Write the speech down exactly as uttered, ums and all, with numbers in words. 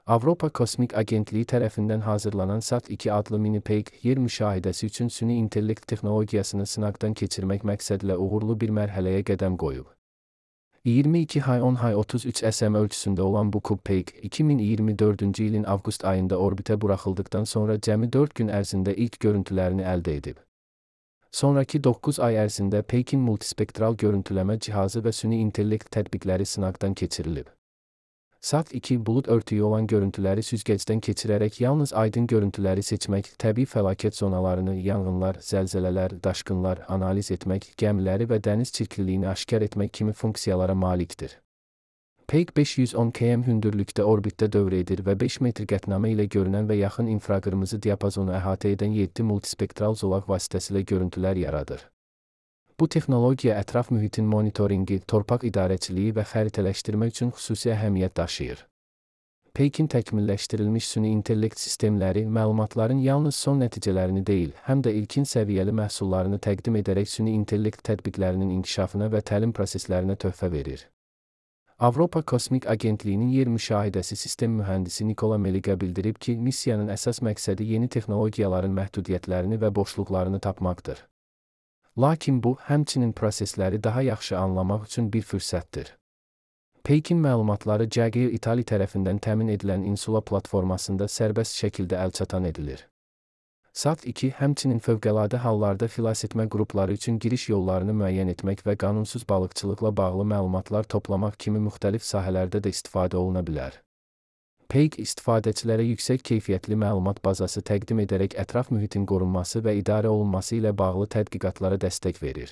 Avropa Kosmik Agentliyi tərəfindən hazırlanan SAT iki adlı mini-peyk yer müşahidəsi üçün süni intellekt texnologiyasını sınaqdan keçirmək məqsədlə uğurlu bir mərhələyə qədəm qoyub. iyirmi iki hay on hay otuz üç sm ölçüsündə olan bu kub-peyk, iki min iyirmi dördüncü ilin avqust ayında orbitə buraxıldıqdan sonra cəmi dörd gün ərzində ilk görüntülərini əldə edib. Sonraki doqquz ay ərzində peykin multispektral görüntüləmə cihazı və süni intellekt tətbiqləri sınaqdan keçirilib. SAT iki bulud örtüyü olan görüntüləri süzgəcdən keçirərək yalnız aydın görüntüləri seçmək, təbii fəlakət zonalarını, yanğınlar, zəlzələlər, daşqınlar analiz etmək, gəmiləri və dəniz çirkliliyini aşkar etmək kimi funksiyalara malikdir. Peyk beş yüz on kilometr hündürlükdə orbitdə dövr edir və beş metr qətnamə ilə görünən və yaxın infraqırmızı diapazonu əhatə edən yeddi multispektral zolaq vasitəsilə görüntülər yaradır. Bu texnologiya ətraf mühitin monitoringi, torpaq idarəçiliyi və xəritələşdirmə üçün xüsusi əhəmiyyət daşıyır. Peykin təkmilləşdirilmiş süni intellekt sistemləri məlumatların yalnız son nəticələrini deyil, həm də ilkin səviyyəli məhsullarını təqdim edərək süni intellekt tətbiqlərinin inkişafına və təlim proseslərinə töhfə verir. Avropa Kosmik Agentliyinin yer müşahidəsi sistem mühəndisi Nikola Meliga bildirib ki, missiyanın əsas məqsədi yeni texnologiyaların məhdudiyyətlərini və boşluqlarını tapmaqdır. Lakin bu, həmçinin prosesləri daha yaxşı anlamaq üçün bir fürsətdir. Peykin məlumatları Jaguar İtali tərəfindən təmin edilən Insula platformasında sərbəst şəkildə əlçatan edilir. SAT iki həmçinin fövqəladə hallarda xilasetmə qrupları üçün giriş yollarını müəyyən etmək və qanunsuz balıqçılıqla bağlı məlumatlar toplamaq kimi müxtəlif sahələrdə də istifadə oluna bilər. Peyk istifadəçilərə yüksək keyfiyyətli məlumat bazası təqdim edərək ətraf mühitin qorunması və idarə olunması ilə bağlı tədqiqatlara dəstək verir.